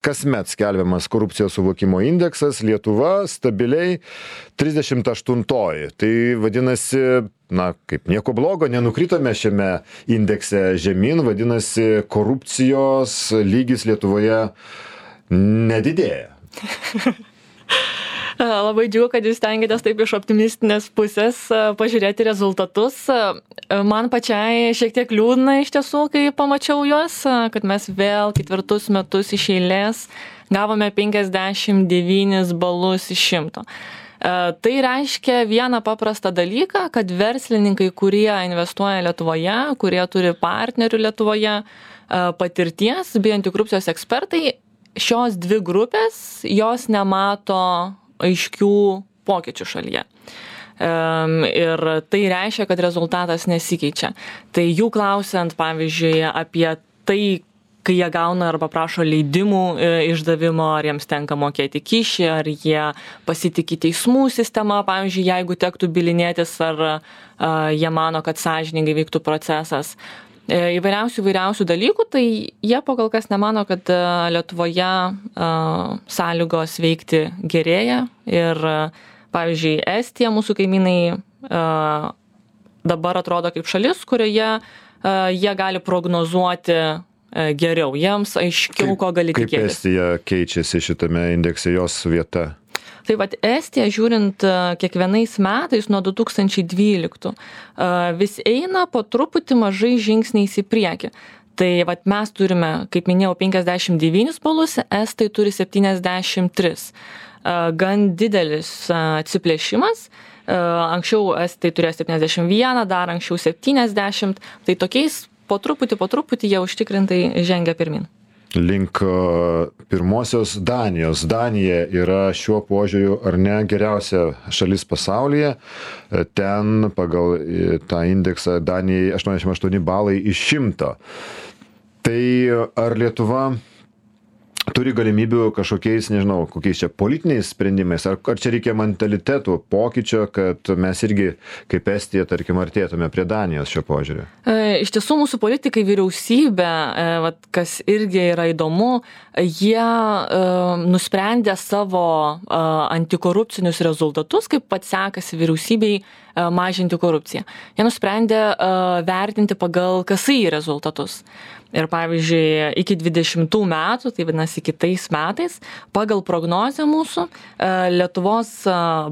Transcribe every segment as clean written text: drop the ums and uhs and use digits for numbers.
kasmet skelbiamas korupcijos suvokimo indeksas, Lietuva stabiliai 38. Tai vadinasi, kaip nieko blogo, nenukritome šiame indekse žemyn, vadinasi, korupcijos lygis Lietuvoje nedidėja. Labai džiugu, kad jūs stengiatės taip iš optimistinės pusės pažiūrėti rezultatus. Man pačiai šiek tiek liūdna iš tiesų, kai pamačiau juos, kad mes vėl 4 metus iš eilės gavome 59 balus iš 100. Tai reiškia vieną paprastą dalyką, kad verslininkai, kurie investuoja Lietuvoje, kurie turi partnerių Lietuvoje, patirties, bei antikorupcijos ekspertai, šios dvi grupės, jos nemato aiškių pokyčių šalyje. Ir tai reiškia, kad rezultatas nesikeičia. Tai jų klausiant, pavyzdžiui, apie tai, kai jie gauna arba prašo leidimų išdavimo, ar jiems tenka mokėti kyšį, ar jie pasitikė teismų sistema, pavyzdžiui, jeigu tektų bylinėtis, ar jie mano, kad sąžiningai vyktų procesas. Įvairiausių dalykų, tai jie kol kas nemano, kad Lietuvoje sąlygos veikti gerėja ir, pavyzdžiui, Estija, mūsų kaimynai, dabar atrodo kaip šalis, kurioje jie gali prognozuoti geriau, jiems aiškiau, ko gali tikėtis. Kaip Estija keičiasi šitame indekse, jos vieta? Tai vat Estija, žiūrint kiekvienais metais nuo 2012, vis eina po truputį mažai žingsniais į priekį. Tai vat mes turime, kaip minėjau, 59 balus, estai turi 73. Gan didelis atsiplėšimas. Anksčiau estai turėjo 71, dar anksčiau 70. Tai tokiais po truputį jie užtikrintai žengia pirmin. Link pirmosios Danijos. Danija yra šiuo požiūriu ar ne geriausia šalis pasaulyje. Ten pagal tą indeksą Danijai 88 balai iš 100. Tai ar Lietuva turi galimybių kažkokiais, nežinau, kokiais čia politiniais sprendimais, ar čia reikia mentalitetų pokyčio, kad mes irgi kaip Estija, tarkim, artėtume prie Danijos šio požiūrio? Iš tiesų mūsų politikai, vyriausybė, kas irgi yra įdomu, jie nusprendė savo antikorupcinius rezultatus, kaip pats sekasi vyriausybei mažinti korupciją. Jie nusprendė vertinti pagal KSI rezultatus. Ir pavyzdžiui, iki 20 metų, tai vadinasi kitais metais, pagal prognozę mūsų, Lietuvos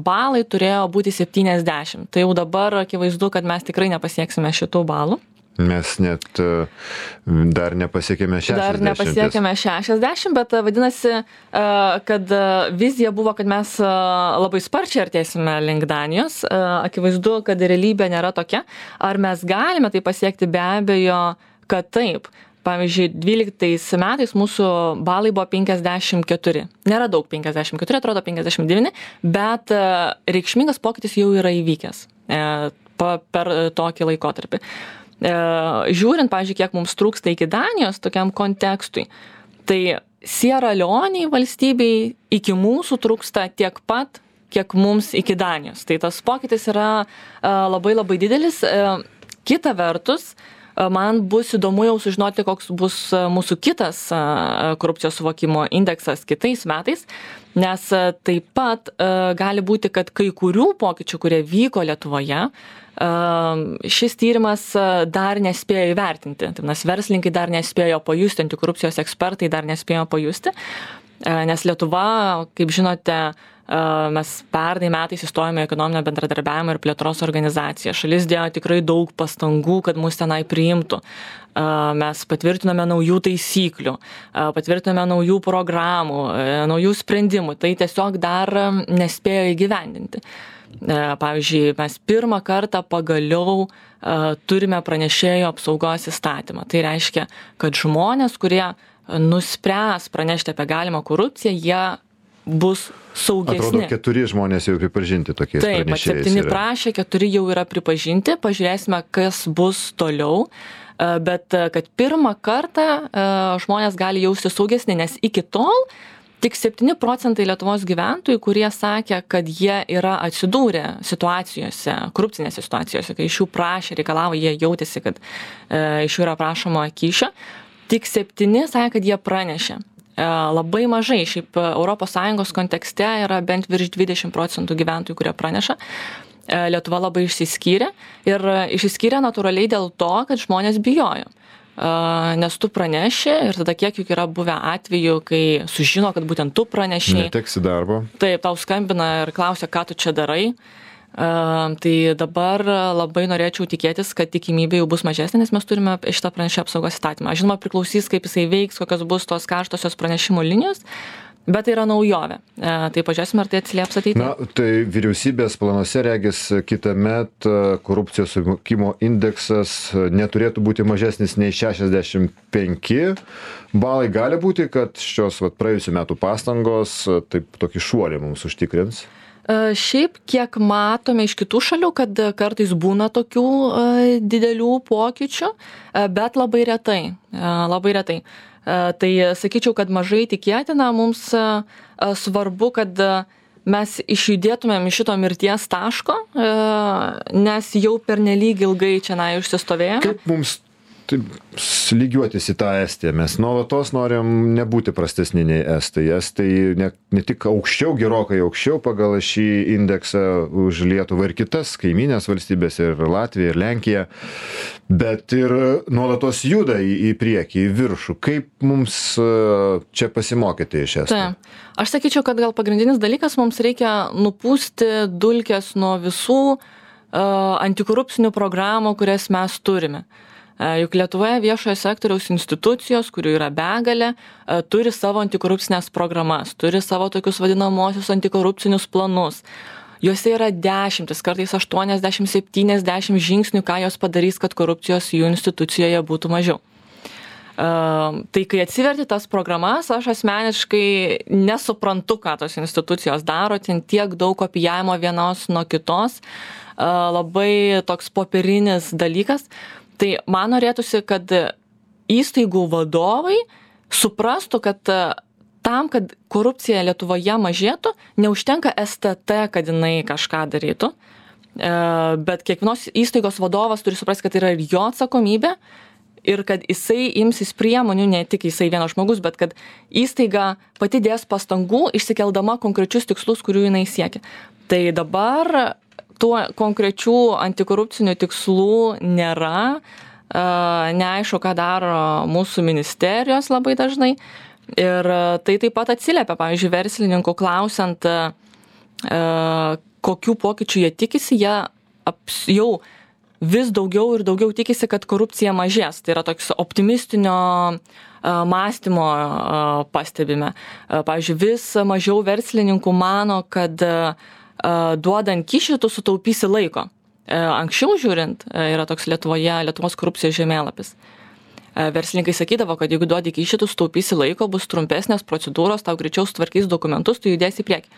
balai turėjo būti 70. Tai jau dabar akivaizdu, kad mes tikrai nepasieksime šitų balų. Mes net dar nepasiekėme 60. Dar nepasiekėme 60, bet vadinasi, kad vizija buvo, kad mes labai sparčiai artėsime link Danijos. Akivaizdu, kad realybė nėra tokia. Ar mes galime tai pasiekti? Be abejo, kad taip. Pavyzdžiui, 12 metais mūsų balai buvo 54. Nėra daug 54, atrodo 59, bet reikšmingas pokytis jau yra įvykęs per tokį laikotarpį. Žiūrint, pavyzdžiui, kiek mums trūksta iki Danijos tokiam kontekstui, tai Sierra Leonei valstybei iki mūsų trūksta tiek pat, kiek mums iki Danijos. Tai tas pokytis yra labai didelis. Kita vertus, man bus įdomu jau sužinoti, koks bus mūsų kitas korupcijos suvokimo indeksas kitais metais, nes taip pat gali būti, kad kai kurių pokyčių, kurie vyko Lietuvoje, šis tyrimas dar nespėjo įvertinti. Tai nes verslininkai dar nespėjo pajusti, antikorupcijos ekspertai dar nespėjo pajusti, nes Lietuva, kaip žinote, mes pernai metais įstojome į ekonominio bendradarbiavimo ir plėtros organizaciją. Šalis dėjo tikrai daug pastangų, kad mus tenai priimtų. Mes patvirtinome naujų taisyklių, patvirtinome naujų programų, naujų sprendimų. Tai tiesiog dar nespėjo įgyvendinti. Pavyzdžiui, mes pirmą kartą pagaliau turime pranešėjo apsaugos įstatymą. Tai reiškia, kad žmonės, kurie nuspręs pranešti apie galimą korupciją, jie bus saugesni. Atrodo, 4 žmonės jau pripažinti tokiais pranešėjais. Taip, 7 prašė, 4 jau yra pripažinti. Pažiūrėsime, kas bus toliau. Bet kad pirmą kartą žmonės gali jausti saugesni, nes iki tol tik 7% Lietuvos gyventojų, kurie sakė, kad jie yra atsidūrę situacijose, korupcinėse situacijose, kai iš jų prašė, reikalavo, jie jautėsi, kad iš jų yra prašoma kyšio. Tik 7 sakė, kad jie pranešė. Labai mažai, šiaip ES kontekste yra bent virš 20% gyventojų, kurie praneša. Lietuva labai išsiskyrė ir išsiskyrė natūraliai dėl to, kad žmonės bijojo. Nes tu praneši ir tada kiek juk yra buvę atvejų, kai sužino, kad būtent tu praneši. Neteksi darbo. Taip, tau skambina ir klausia, ką tu čia darai. Tai dabar labai norėčiau tikėtis, kad tikimybė jau bus mažesnė, nes mes turime šitą pranešėjų apsaugos įstatymą. Žinoma, priklausys, kaip jisai veiks, kokios bus tos karštosios pranešimų linijos. Bet tai yra naujovė. Tai pažiūrėsime, ar tai atsilieps ateityje. Na, tai vyriausybės planuose regis kitąmet korupcijos suvokimo indeksas neturėtų būti mažesnis nei 65 balai. Gali būti, kad šios praėjusių metų pastangos taip tokį šuolį mums užtikrins? Šiaip, kiek matome iš kitų šalių, kad kartais būna tokių didelių pokyčių, bet labai retai. Labai retai. Tai sakyčiau, kad mažai tikėtina, mums svarbu, kad mes išjudėtumėm iš šito mirties taško, nes jau pernelyg ilgai čia užsistovėjome. Kaip mums lygiuotis į tą Estiją? Mes nuolatos norim nebūti prastesni nei Estai. Estai ne tik aukščiau, gerokai aukščiau pagal šį indeksą už Lietuvą ir kitas kaimynės valstybės, ir Latvija, ir Lenkija, bet ir nuolatos juda į priekį, į viršų. Kaip mums čia pasimokyti iš Estų? Taip. Aš sakyčiau, kad gal pagrindinis dalykas, mums reikia nupūsti dulkes nuo visų antikorupcinių programų, kurias mes turime. Juk Lietuvoje viešojo sektoriaus institucijos, kurių yra begalė, turi savo antikorupcinės programas, turi savo tokius vadinamosius antikorupcinius planus. Juose yra 10, kartais 80-70 žingsnių, ką jos padarys, kad korupcijos jų institucijoje būtų mažiau. Tai kai atsiverti tas programas, aš asmeniškai nesuprantu, ką tos institucijos daro, ten tiek daug kopijavimo vienos nuo kitos, labai toks popierinis dalykas. Tai man norėtųsi, kad įstaigų vadovai suprastų, kad tam, kad korupcija Lietuvoje mažėtų, neužtenka STT, kad jinai kažką darytų, bet kiekvienos įstaigos vadovas turi suprasti, kad tai yra ir jo atsakomybė ir kad jisai imsis priemonių, ne tik jisai vienas žmogus, bet kad įstaiga pati dės pastangų išsikeldama konkrečius tikslus, kurių jinai siekia. Tai dabar tų konkrečių antikorupcinių tikslų nėra, neaišku, ką daro mūsų ministerijos labai dažnai. Ir tai taip pat atsiliepia, pavyzdžiui, verslininkų klausiant, kokių pokyčių jie tikisi, jie jau vis daugiau ir daugiau tikisi, kad korupcija mažės. Tai yra toks optimistinio mąstymo pastebime. Pavyzdžiui, vis mažiau verslininkų mano, kad duodant kyšį, tu sutaupysi laiko. Anksčiau žiūrint, yra toks Lietuvos korupcijos žemėlapis. Verslininkai sakydavo, kad jeigu duodi kyšį, tu sutaupysi laiko, bus trumpesnės procedūros, tau greičiau sutvarkys dokumentus, tu judėsi į priekį.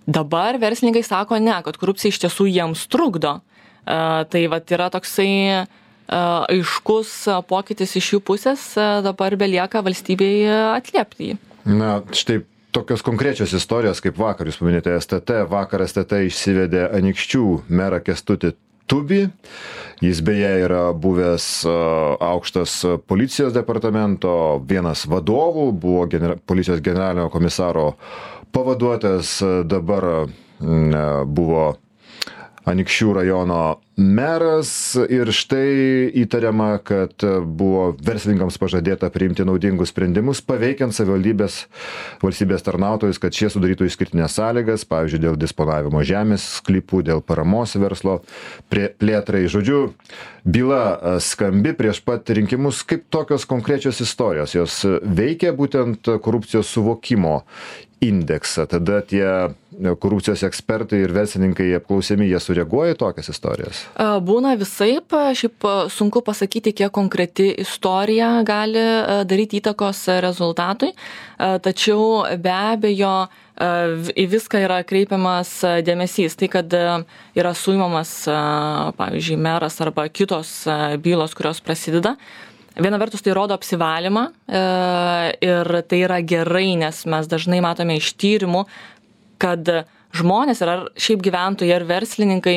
Dabar verslininkai sako ne, kad korupcija iš tiesų jiems trukdo. Tai vat yra toksai aiškus pokytis iš jų pusės, dabar belieka valstybėje atliepti jį. Na, štai tokios konkrečios istorijos, kaip vakar, jūs paminėjote STT, vakar STT išsivedė Anykščių merą Kęstutį Tubį. Jis beje yra buvęs aukštas policijos departamento vienas vadovų, buvo policijos generalinio komisaro pavaduotojas, dabar buvo Anykščių rajono meras ir štai įtariama, kad buvo verslininkams pažadėta priimti naudingus sprendimus, paveikiant valstybės tarnautojus, kad šie sudarytų išskirtinės sąlygas, pavyzdžiui, dėl disponavimo žemės sklypų, dėl paramos verslo plėtrai. Žodžiu, byla skambi prieš pat rinkimus. Kaip tokios konkrečios istorijos, jos veikia būtent korupcijos suvokimo indeksą. Tada tie korupcijos ekspertai ir verslininkai apklausiami, jie sureaguoja į tokias istorijas? Būna visaip, šiaip sunku pasakyti, kiek konkreti istorija gali daryti įtakos rezultatui, tačiau be abejo į viską yra kreipiamas dėmesys. Tai, kad yra suimamas, pavyzdžiui, meras arba kitos bylos, kurios prasideda, viena vertus tai rodo apsivalymą ir tai yra gerai, nes mes dažnai matome iš tyrimų, kad žmonės ir ar šiaip gyventojai ar verslininkai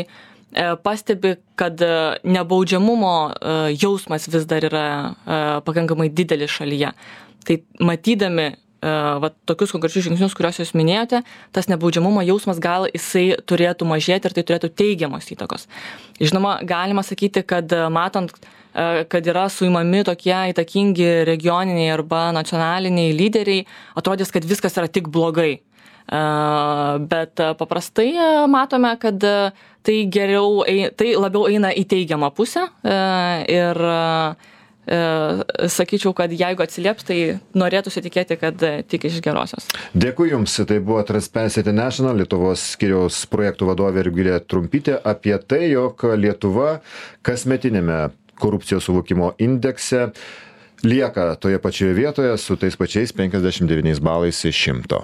pastebi, kad nebaudžiamumo jausmas vis dar yra pakankamai didelis šalyje. Tai matydami va, tokius konkrečius žingsnius, kuriuos jūs minėjote, tas nebaudžiamumo jausmas gal jisai turėtų mažėti ir tai turėtų teigiamos įtakos. Žinoma, galima sakyti, kad matant, kad yra suimami tokie įtakingi regioniniai arba nacionaliniai lyderiai, atrodys, kad viskas yra tik blogai. Bet paprastai matome, kad tai geriau, tai labiau eina į teigiamą pusę ir sakyčiau, kad jeigu atsilieps, tai norėtųsi tikėti, kad tik iš gerosios. Dėkui Jums, tai buvo Transparency International Lietuvos skyriaus projektų vadovė Rugilė Trumpytė apie tai, jog Lietuva kasmetinėme korupcijos suvokimo indekse lieka toje pačioje vietoje su tais pačiais 59 balais iš 100.